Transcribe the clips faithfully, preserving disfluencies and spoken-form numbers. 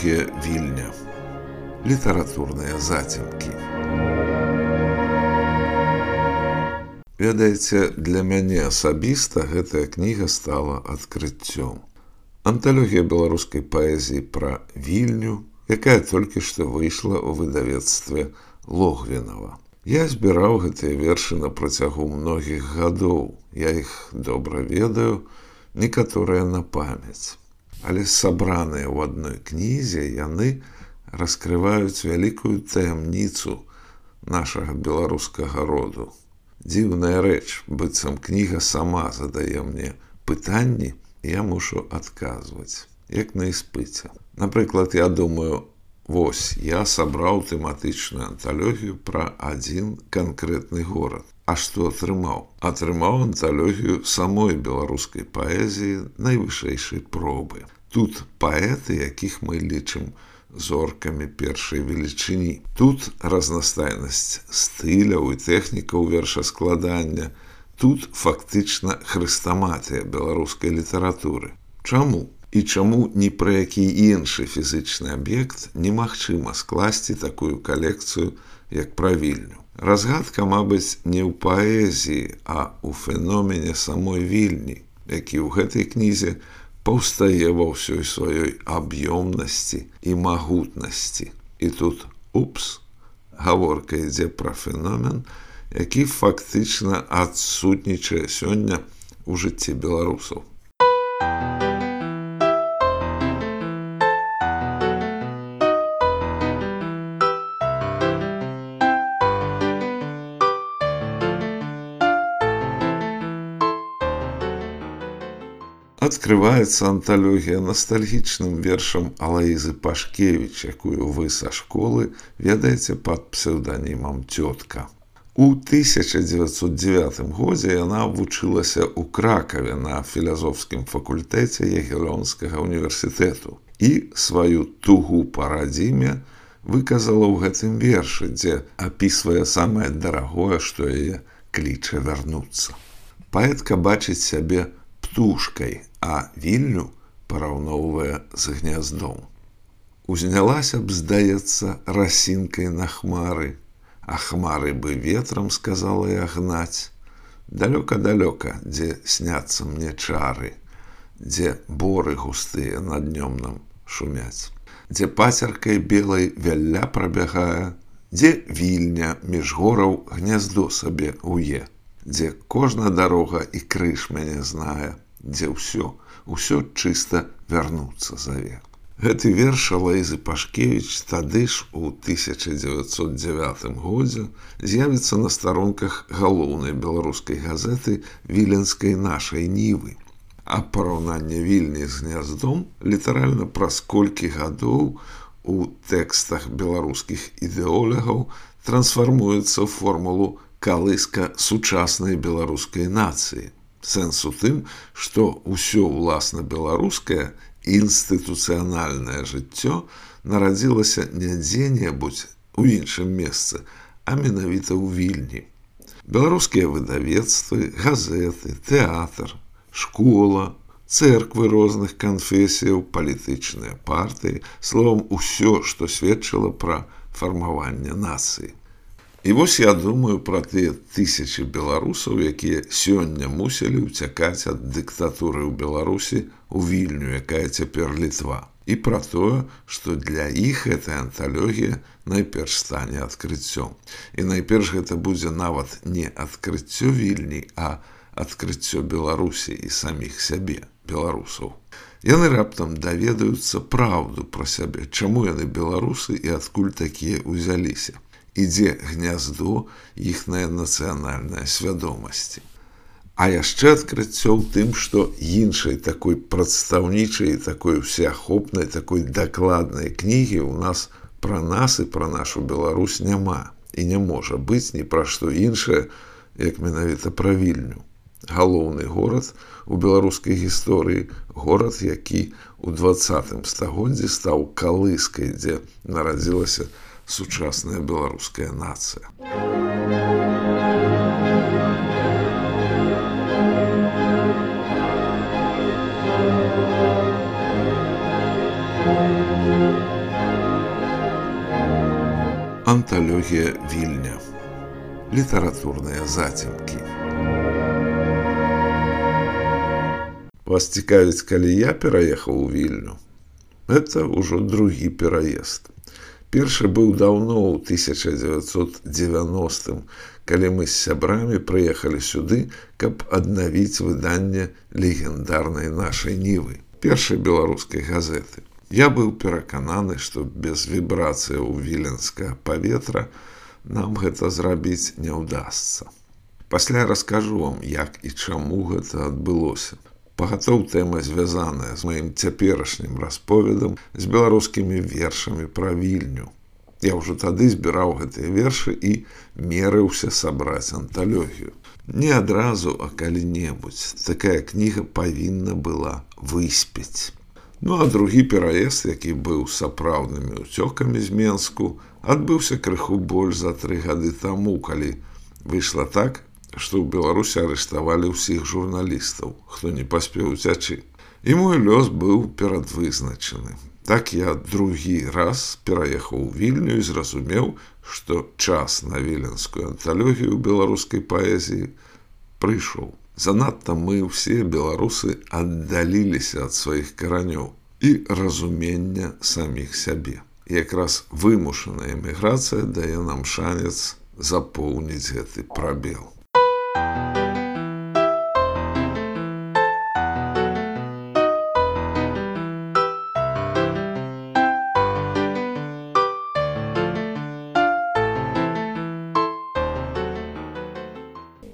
Анталогія Вільня. Літаратурныя зацемкі. Ведаеце, для мяне асабіста гэтая кніга стала адкрыццём. Анталогія беларускай паэзіі пра Вільню, якая толькі што выйшла ў выдавецтве Логвінава. Я збіраў гэтыя вершы на працягу многіх гадоў. Я іх добра ведаю, некаторыя на памяць. Але сабраныя ў адной кнізе яны раскрываюць вялікую таямніцу нашага беларускага роду. Дзіўная рэч, быццам кніга сама задае мне пытанні, і я мушу адказваць, як на іспыце. Напрыклад, я думаю, вось, я сабраў тэматычную анталогію пра адзін канкрэтны горад. А што атрымаў? Атрымаў анталогію самой беларускай паэзіі найвышэйшай пробы. Тут паэты, якіх мы лічым зоркамі першай велічыні. Тут разнастайнасць стыляў і тэхнікаў вершаскладання. Тут фактычна хрэстаматыя беларускай літаратуры. Чаму? І чаму ні пра які іншы фізычны аб'ект немагчыма скласці такую калекцыю, як пра Вільню? Разгадка, мабыць, не ў паэзіі, а ў феномене самой Вільні, які ў гэтай кнізе паўстае ва ўсёй сваёй аб'ёмнасці і магутнасці. І тут, упс, гаворка ідзе пра феномен, які фактычна адсутнічае сёння ў жыцці беларусаў. Адкрываецца анталогія настальгічным вершам Алаізы Пашкевіч, якую вы са школы ведаеце пад псеўданімам «Цётка». У тысяча дзевяцьсот дзевятым годзе яна вучылася ў Кракаве на філазофскім факультэце Ягелёнскага універсітэту і сваю тугу па радзіме выказала ў гэтым вершы, дзе апісвае самае дарагое, што яе кліча вярнуцца. Паэтка бачыць сябе птушкай, а Вільню параўноўвае з гняздом. Узнялася б, здаецца, расінкай на хмары, а хмары бы ветрам, сказала я, гнаць. Далёка-далёка, дзе сняцца мне чары, дзе боры густыя над днём нам шумяць, дзе пацеркай белай вялля прабягае, дзе Вільня між гораў гняздо сабе уе, дзе кожна дарога і крыж мяне знае, дзе ўсё, ўсё чыста вярнуцца заве. Гэты верш Алаізы Пашкевіч тады ж у тысяча дзевяцьсот дзевятым годзе з'явіцца на старонках галоўнай беларускай газеты «Віленскай нашай Нівы». А параўнанне Вільні з гняздом літаральна праз колькі гадоў у тэкстах беларускіх ідэолагаў трансфармуецца ў формулу калыска сучаснай беларускай нацыі. Сэнс у тым, што ўсё ўласна беларускае інстытуцыянальнае жыццё нарадзілася не дзе-небудзь у іншым месцы, а менавіта ў Вільні. Беларускія выдавецтвы, газеты, тэатр, школа, цэрквы розных канфесіяў, палітычныя партыі, словам, усё, што сведчыла пра фармаванне нацыі. І вось я думаю пра тыя тысячы беларусаў, якія сёння мусілі ўцякаць ад дыктатуры ў Беларусі ў Вільню, якая цяпер Літва. І пра тое, што для іх гэтая анталогія найперш стане адкрыццём. І найперш гэта будзе нават не адкрыццё Вільні, а адкрыццё Беларусі і саміх сябе, беларусаў. Яны раптам даведаюцца праўду пра сябе, чаму яны беларусы і адкуль такія ўзяліся. І дзе гняздо іхняе нацыянальнай свядомасці. А яшчэ адкрыццё ў тым, што іншай такой прадстаўнічай, такой усеахопнай, такой дакладнай кнігі ў нас пра нас і пра нашу Беларусь няма. І не можа быць ні пра што іншае, як менавіта пра Вільню. Галоўны горад у беларускай гісторыі, горад, які ў дваццатым стагоддзі стаў калыскай, дзе нарадзілася сучасная беларуская нацыя. Thank you. Анталогія Вільня. Літаратурныя зацемкі. Вас цікавіць, калі я пераехаў у Вільню? Гэта ўжо другі пераезд. Першы быў даўно ў тысяча дзевяцьсот дзевяностым, калі мы з сябрамі прыехалі сюды, каб аднавіць выданне легендарнай нашай Нівы, першай беларускай газеты. Я быў перакананы, што без вібрацыяў віленскага паветра нам гэта зрабіць не ўдасца. Пасля раскажу вам, як і чаму гэта адбылося. Пагатоў тэма звязаная з маім цяперашнім расповедам з беларускімі вершамі пра Вільню. Я ўжо тады збіраў гэтыя вершы і мерыўся сабраць анталогію. Не адразу, а калі-небудзь. Такая кніга павінна была выспець. Ну а другі пераезд, які быў сапраўднымі ўцёкамі з Менску, адбыўся крыху больш за тры гады таму, калі выйшла так, што ў Беларусі арыштавалі ўсіх журналістаў, хто не паспеў уцячы. І мой лёс быў перадвызначаны. Так я другі раз пераехаў у Вільню і зразумеў, што час на віленскую анталогію беларускай паэзіі прыйшоў. Занадта мы ўсе беларусы аддаліліся ад сваіх каранёў і разумення саміх сябе. І якраз вымушаная эміграцыя дае нам шанец запоўніць гэты прабел.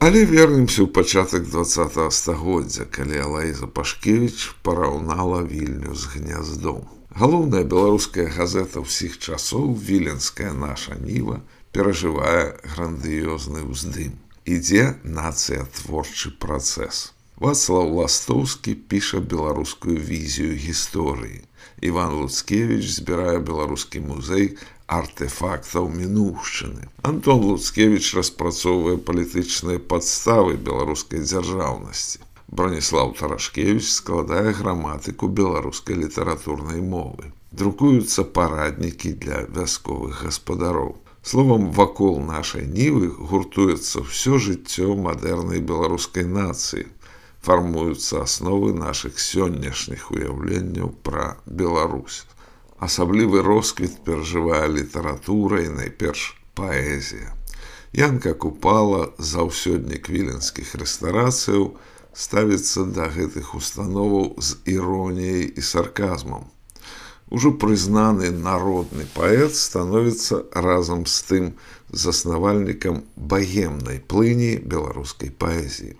Але вернемся ў пачатак дваццатага стагоддзя, калі Алаіза Пашкевіч параўнала Вільню з гняздом. Галоўная беларуская газета ўсіх часоў, віленская наша Ніва, перажывае грандыёзны ўздым. Ідзе нацыятворчы працэс. Вацлаў Ластоўскі піша беларускую візію гісторыі. Іван Луцкевіч збірае беларускі музей артэфактаў мінуўшчыны. Антон Луцкевіч распрацоўвае палітычныя падставы беларускай дзяржаўнасці. Браніслаў Тарашкевіч складае граматыку беларускай літаратурнай мовы. Друкуюцца параднікі для вясковых гаспадароў. Словам, вакол нашай Нівы гуртуецца ўсё жыццё мадэрнай беларускай нацыі. Фармуюцца асновы нашых сённяшніх уяўленняў пра Беларусь. Асаблівы росквіт перажывае літаратура і найперш паэзія. Янка Купала, заўсёднік віленскіх рэстарацыяў, ставіцца да гэтых установаў з іроніяй і сарказмам. Ужо прызнаны народны паэт становіцца разам з тым заснавальнікам багемнай плыні беларускай паэзіі.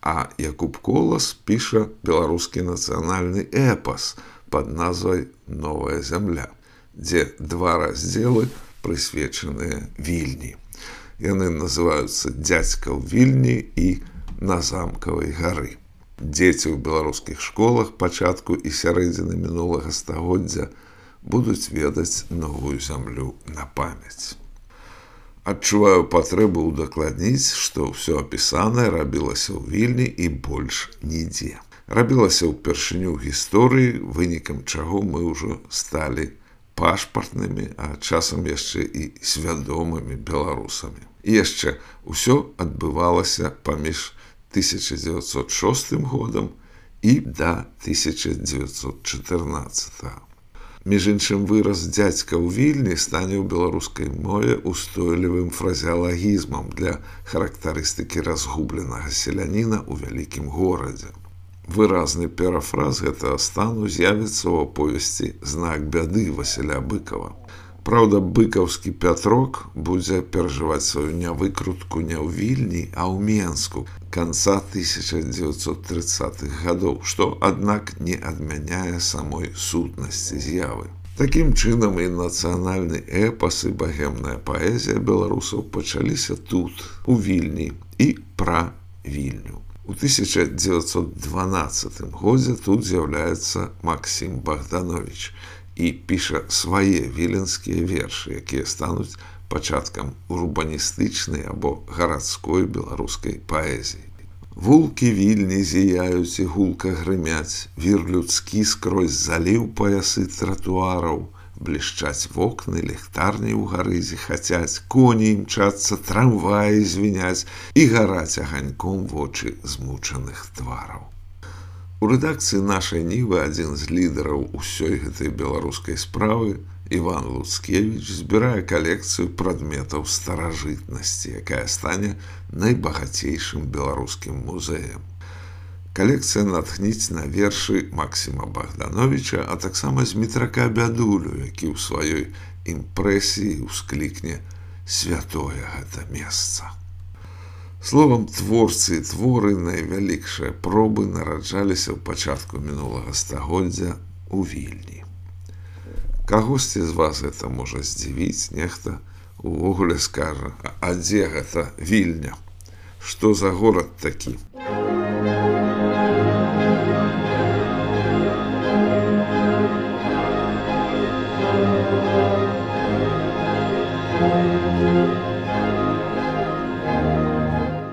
А Якуб Колас піша беларускі нацыянальны эпас пад назвай «Новая зямля», дзе два раздзелы прысвечаныя Вільні. Яны называюцца «Дзядзька ў Вільні» і «На замкавай гары». Дзеці ў беларускіх школах пачатку і сярэдзіны мінулага стагоддзя будуць ведаць новую зямлю на памяць. Адчуваю патрэбу ўдакладніць, што ўсё апісанае рабілася ў Вільні і больш нідзе. Рабілася ўпершыню ў гісторыі, вынікам чаго мы ўжо сталі пашпартнымі, а часам яшчэ і свядомымі беларусамі. І яшчэ ўсё адбывалася паміж тысяча дзевяцьсот шостым годам і да тысяча дзевяцьсот чатырнаццатага. Між іншым, выраз «дзядзька ў Вільні» стане ў беларускай мове устойлівым фразеалагізмам для характарыстыкі разгубленага селяніна ў вялікім горадзе. Выразны парафраз гэтага стану з'явіцца ў аповесці «Знак бяды» Васіля Быкова. Праўда, быкаўскі Пятрок будзе перажываць сваю нявыкрутку не ў Вільні, а ў Менску канца тысяча дзевяцьсот трыццатых гадоў, што, аднак, не адмяняе самой сутнасці з'явы. Такім чынам і нацыянальны эпас і багемная паэзія беларусаў пачаліся тут, у Вільні, і пра Вільню. У тысяча дзевяцьсот дванаццатым годзе тут з'яўляецца Максім Богданович і піша свае віленскія вершы, якія стануць пачаткам урбаністычнай або гарадской беларускай паэзіі. Вулкі Вільні зіяюць і гулка грымяць, вір людскі скрозь заліў паясы тратуараў, блішчаць вокны, ліхтарні ў гарызе хацяць, коні імчацца, трамваі звіняць і гараць аганьком вочы змучаных твараў. У рэдакцыі нашай Нівы адзін з лідараў усёй гэтай беларускай справы, Іван Луцкевіч, збірае калекцыю прадметаў старажытнасці, якая стане найбагацейшым беларускім музеем. Калекцыя натхніць на вершы Максіма Богдановича, а таксама Змітрака Бядулю, які ў сваёй імпрэсіі ўсклікне «Святое гэта месца». Словам, творцы і творы найвялікшыя пробы нараджаліся ў пачатку мінулага стагоддзя ў Вільні. Кагосьці з вас гэта можа здзівіць, нехта увогуле скажа, а дзе гэта Вільня? Што за горад такі?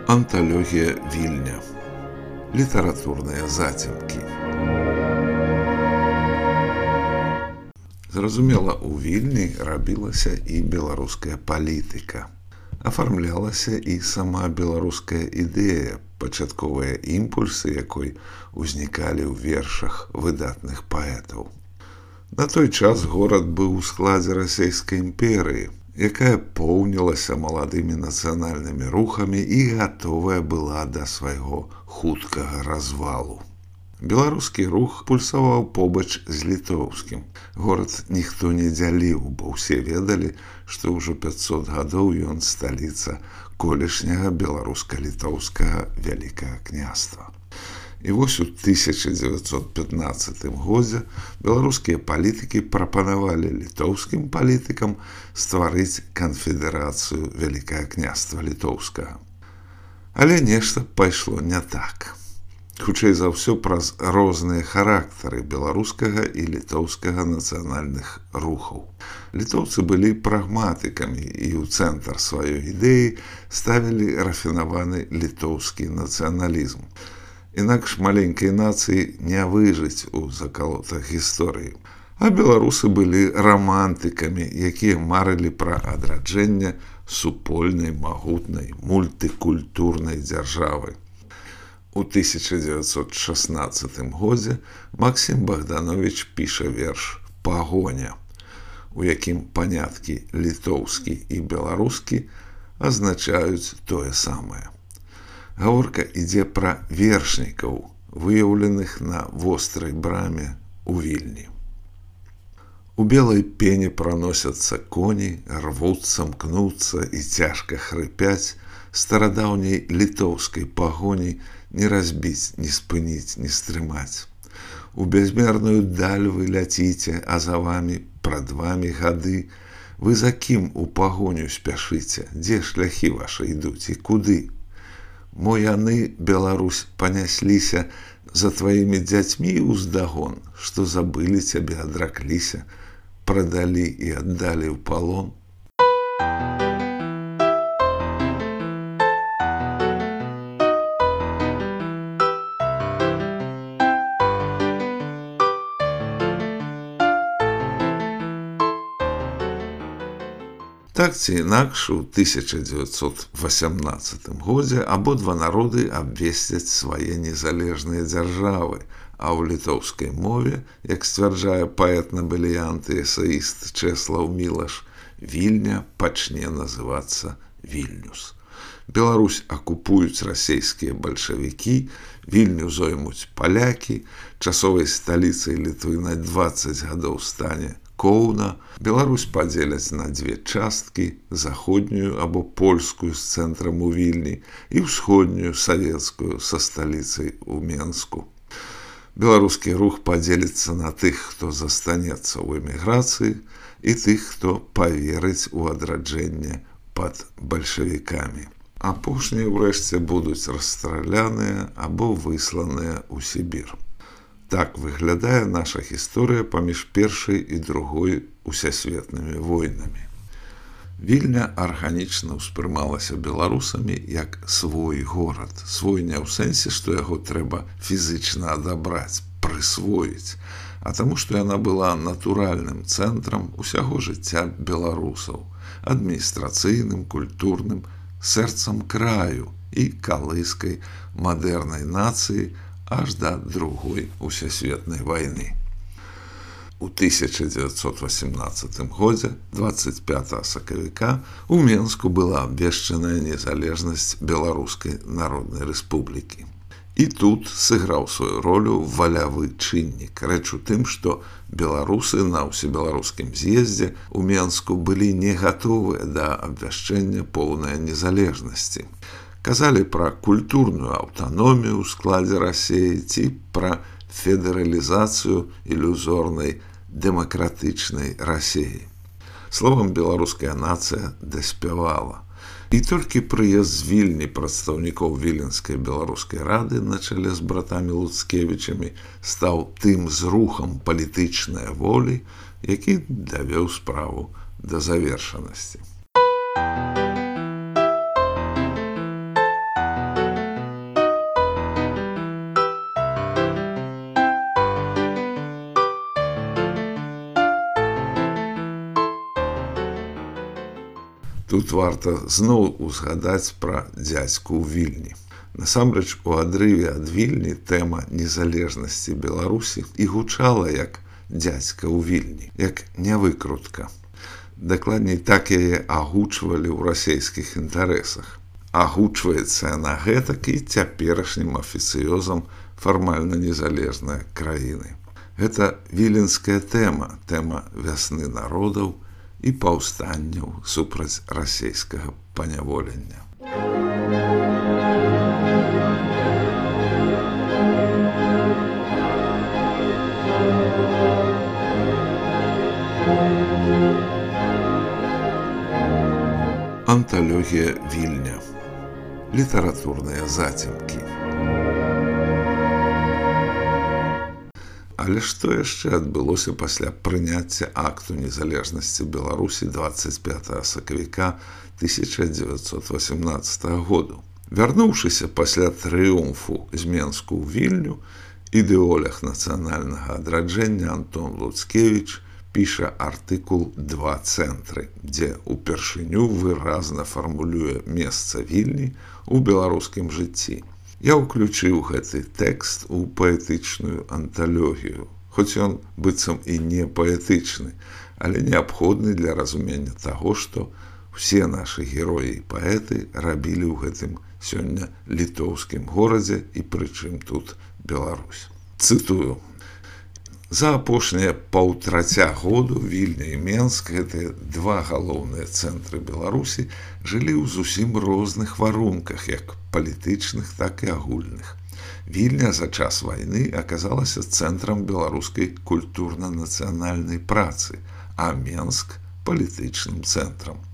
Анталогія Вільня. Літаратурныя зацемкі. Зразумела, у Вільні рабілася і беларуская палітыка. Афармлялася і сама беларуская ідэя, пачатковыя імпульсы якой узнікалі ў вершах выдатных паэтаў. На той час горад быў у складзе расійскай імперыі, якая поўнілася маладымі нацыянальнымі рухамі і гатовая была да свайго хуткага развалу. Беларускі рух пульсаваў побач з літоўскім. Горад ніхто не дзяліў, бо ўсе ведалі, што ўжо пяцьсот гадоў ён сталіца колішняга беларуска-літоўскага вялікага княства. І вось у тысяча дзевяцьсот пятнаццатым годзе беларускія палітыкі прапанавалі літоўскім палітыкам стварыць канфедэрацыю Вялікага княства літоўскага. Але нешта пайшло не так. Хутчэй за ўсё праз розныя характары беларускага і літоўскага нацыянальных рухаў. Літоўцы былі прагматыкамі і ў цэнтр сваёй ідэі ставілі рафінаваны літоўскі нацыяналізм. Інакш маленькай нацыі не выжыць у закалотах гісторыі. А беларусы былі рамантыкамі, якія марылі пра адраджэнне супольнай, магутнай, мультыкультурнай дзяржавы. У тысяча дзевяцьсот шаснаццатым годзе Максім Богданович піша верш «Пагоня», у якім паняткі літоўскі і беларускі азначаюць тое самае. Гаворка ідзе пра вершнікаў, выяўленых на вострай браме ў Вільні. У белай пене праносяцца коні, рвуцца, мкнуцца і цяжка хрыпяць, старадаўняй літоўскай пагоні не разбіць, не спыніць, не стрымаць. У бязмерную даль вы ляціце, а за вамі, прад вамі гады. Вы за кім у пагоню спяшыце, дзе шляхі вашы ідуць і куды? Мо яны, Беларусь, панясліся за тваімі дзяцьмі ўздагон, што забылі цябе, адракліся, прадалі і аддалі ў палон. Так ці інакш, у тысяча дзевяцьсот васямнаццатым годзе абодва народы абвесцяць свае незалежныя дзяржавы, а ў літоўскай мове, як сцвярджае паэт-набеліянт і эсэіст Чэслаў Мілаш, Вільня пачне называцца Вільнюс. Беларусь акупуюць расійскія бальшавікі, Вільню зоймуць палякі, часовай сталіцай Літвы на дваццаць гадоў стане Коўна, Беларусь падзеляць на дзве часткі, заходнюю або польскую з цэнтрам у Вільні і ўсходнюю савецкую са сталіцай у Менску. Беларускі рух падзеліцца на тых, хто застанецца ў эміграцыі, і тых, хто паверыць у адраджэнне пад бальшавікамі. Апошнія ўрэшце будуць расстраляныя або высланыя ў Сібір. Так выглядае наша гісторыя паміж першай і другой усесветнымі войнамі. Вільня арганічна ўспрымалася беларусамі як свой горад. Свой не ў сэнсе, што яго трэба фізічна адабраць, прысвоіць, а таму, што яна была натуральным цэнтрам усяго жыцця беларусаў, адміністрацыйным, культурным, сэрцам краю і калыскай мадэрнай нацыі аж да другой усесветнай вайны. У тысяча дзевяцьсот васямнаццатым годзе дваццаць пятага сакавіка у Менску была абвешчаная незалежнасць Беларускай Народнай Рэспублікі. І тут сыграў сваю ролю валявы чыннік. Рэч у тым, што беларусы на ўсебеларускім з'ездзе ў Менску былі не гатовыя да абвяшчэння поўнай незалежнасці. Казалі пра культурную аўтаномію ў складзе Расіі ці пра федэралізацыю ілюзорнай дэмакратычнай Расіі. Словам, беларуская нацыя даспявала. І толькі прыезд з Вільні прадстаўнікоў Віленскай беларускай рады на чале з братамі Луцкевічамі стаў тым зрухам палітычнай волі, які давёў справу да завершанасці. Тут варта зноў узгадаць пра дзядзьку ў Вільні. Насамрэч, у адрыве ад Вільні тэма незалежнасці Беларусі і гучала як дзядзька ў Вільні, як нявыкрутка. Дакладней, так яе агучвалі ў расейскіх інтарэсах. Агучваецца яна гэтак і цяперашнім афіцыёзам фармальна незалежнай краіны. Гэта віленская тэма, тэма вясны народаў і паўстанняў супраць расейскага паняволення. Анталогія Вільня. Літаратурныя зацемкі. Але што яшчэ адбылося пасля прыняцця акту незалежнасці Беларусі дваццаць пятага сакавіка тысяча дзевяцьсот васямнаццатага году? Вярнуўшыся пасля трыумфу з Менску ў Вільню, ідэолог нацыянальнага адраджэння Антон Луцкевіч піша артыкул «Два цэнтры», дзе ўпершыню выразна фармулюе месца Вільні ў беларускім жыцці. Я ўключыў гэты тэкст у паэтычную анталогію, хоць ён быццам і не паэтычны, але неабходны для разумення таго, што ўсе нашы героі і паэты рабілі ў гэтым сёння літоўскім горадзе і прычым тут Беларусь. Цытую. За апошнія паўтраця году Вільня і Менск, гэтыя два галоўныя цэнтры Беларусі, жылі ў зусім розных варунках, як палітычных, так і агульных. Вільня за час вайны аказалася цэнтрам беларускай культурна-нацыянальнай працы, а Менск – палітычным цэнтрам.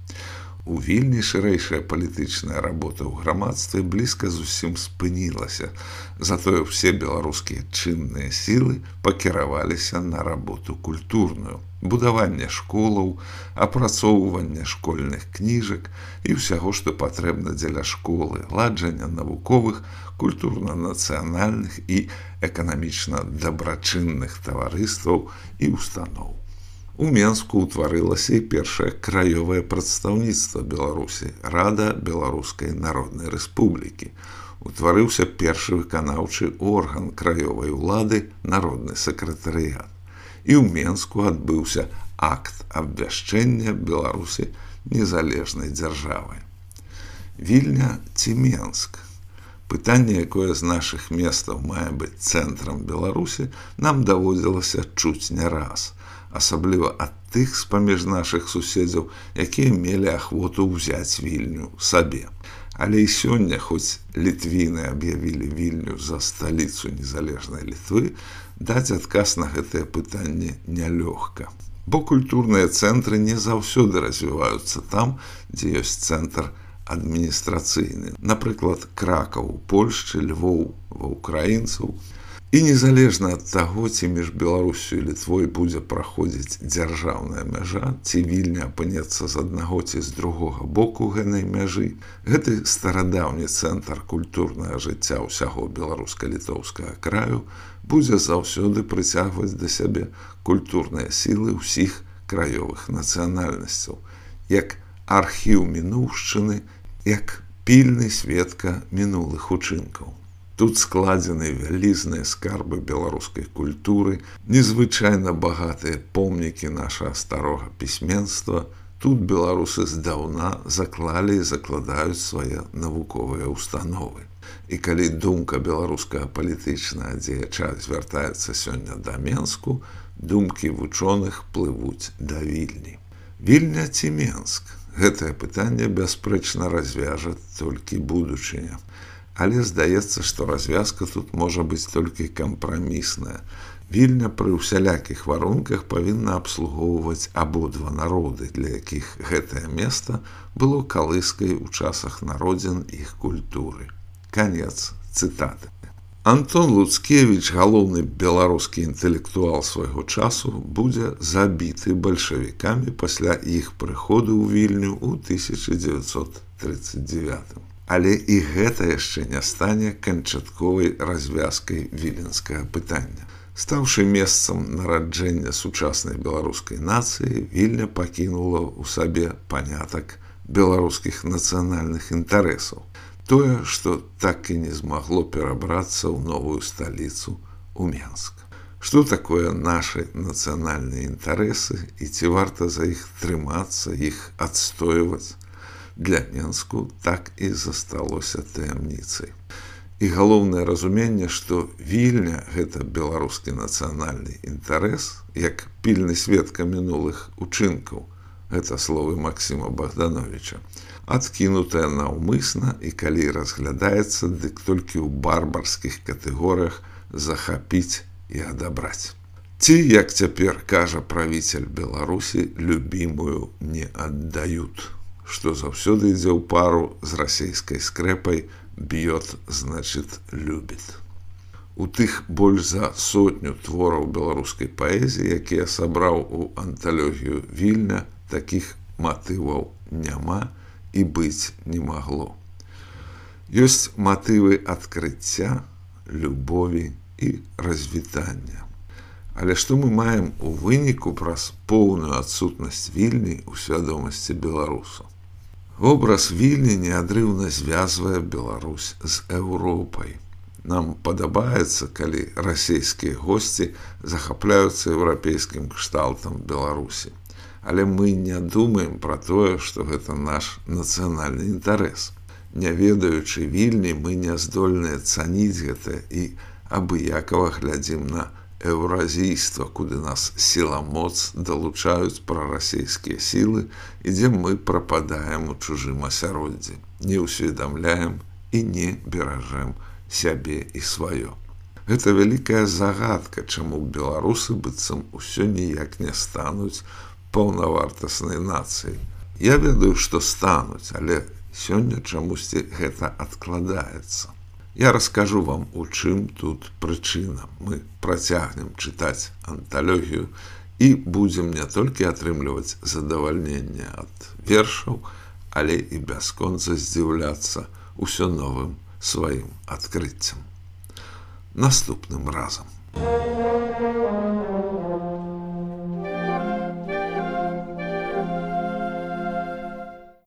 У Вільні шырэйшая палітычная работа ў грамадстве блізка зусім спынілася, затое ўсе беларускія чынныя сілы пакіраваліся на работу культурную, будаванне школаў, апрацоўванне школьных кніжак і ўсяго, што патрэбна дзеля школы, ладжання навуковых, культурна-нацыянальных і эканамічна дабрачынных таварыстваў і устаноў. У Менску ўтварылася і першае краёвае прадстаўніцтва Беларусі, Рада Беларускай Народнай Рэспублікі. Утварыўся першы выканаўчы орган краёвай улады, народны сакратарыят. І ў Менску адбыўся акт абвяшчэння Беларусі незалежнай дзяржавай. Вільня ці Менск? Пытанне, якое з нашых месцаў мае быць цэнтрам Беларусі, нам даводзілася чуць не раз. Асабліва ад тых з-паміж нашых суседзяў, якія мелі ахвоту ўзяць Вільню сабе. Але і сёння, хоць літвіны аб'явілі Вільню за сталіцу незалежнай Літвы, даць адказ на гэтае пытанне нялёгка. Бо культурныя цэнтры не заўсёды развіваюцца там, дзе ёсць цэнтр адміністрацыйны. Напрыклад, Кракаў у Польшчы, Львоў ва ўкраінцаў. І незалежна ад таго, ці між Беларусю і Літвой будзе праходзіць дзяржаўная мяжа, ці Вільня апынецца з аднаго ці з другога боку гэнай мяжы, гэты старадаўні цэнтр культурнага жыцця ўсяго беларуска-літоўскага краю будзе заўсёды прыцягваць да сябе культурныя сілы ўсіх краёвых нацыянальнасцяў, як архіў мінуўшчыны, як пільны сведка мінулых учынкаў. Тут складзены вялізныя скарбы беларускай культуры, незвычайна багатыя помнікі нашага старога пісьменства. Тут беларусы здаўна заклалі і закладаюць свае навуковыя установы. І калі думка беларускага палітычнага дзеяча звяртаецца сёння да Менску, думкі вучоных плывуць да Вільні. Вільня ці Менск? Гэтае пытанне бясспрэчна развяжа толькі будучыня. Але здаецца, што развязка тут можа быць толькі кампрамісная. Вільня пры ўсялякіх варунках павінна абслугоўваць абодва народы, для якіх гэтае месца было калыскай у часах народзін іх культуры. Канец цытаты. Антон Луцкевіч, галоўны беларускі інтэлектуал свайго часу, будзе забіты бальшавікамі пасля іх прыходу ў Вільню ў тысяча дзевяцьсот трыццаць дзевятым. Але і гэта яшчэ не стане канчатковай развязкай віленскага пытання. Стаўшы месцам нараджэння сучаснай беларускай нацыі, Вільня пакінула ў сабе панятак беларускіх нацыянальных інтарэсаў. Тое, што так і не змагло перабрацца ў новую сталіцу, у Менск. Што такое нашы нацыянальныя інтарэсы і ці варта за іх трымацца, іх адстойваць? Для Менску так і засталося таямніцай. І галоўнае разуменне, што Вільня – гэта беларускі нацыянальны інтарэс, як пільны сведка мінулых учынкаў, гэта словы Максіма Богдановича, адкінутая наўмысна і калі разглядаецца, дык толькі ў барбарскіх катэгорыях захапіць і адабраць. Ці, як цяпер кажа правіцель Беларусі, любімую не аддаюць, што заўсёды ідзе ў пару з расейскай скрэпай «б'ёт, значит, любіт». У тых больш за сотню твораў беларускай паэзіі, якія сабраў у анталогію Вільня, такіх матываў няма і быць не магло. Ёсць матывы адкрыцця, любові і развітання. Але што мы маем у выніку праз поўную адсутнасць Вільні ў свядомасці беларусаў? Образ Вільні неадрыўна звязвае Беларусь з Еўропай. Нам падабаецца, калі расейскія госці захапляюцца еўрапейскім кшталтам Беларусі. Але мы не думаем пра тое, што гэта наш нацыянальны інтарэс. Не ведаючы Вільні, мы не здольныя цаніць гэта і абыякава глядзім на еўразійства, куды нас сіла-моц далучаюць прарасейскія сілы, і дзе мы прападаем у чужым асяроддзі, не ўсведамляем і не беражэм сябе і сваё. Гэта вялікая загадка, чаму беларусы быццам усё ніяк не стануць паўнавартаснай нацыяй. Я ведаю, што стануць, але сёння чамусьці гэта адкладаецца. Я раскажу вам, у чым тут прычына. Мы працягнем чытаць анталогію і будзем не толькі атрымліваць задавальненне ад вершаў, але і бясконца здзіўляцца ўсё новым сваім адкрыццям. Наступным разам.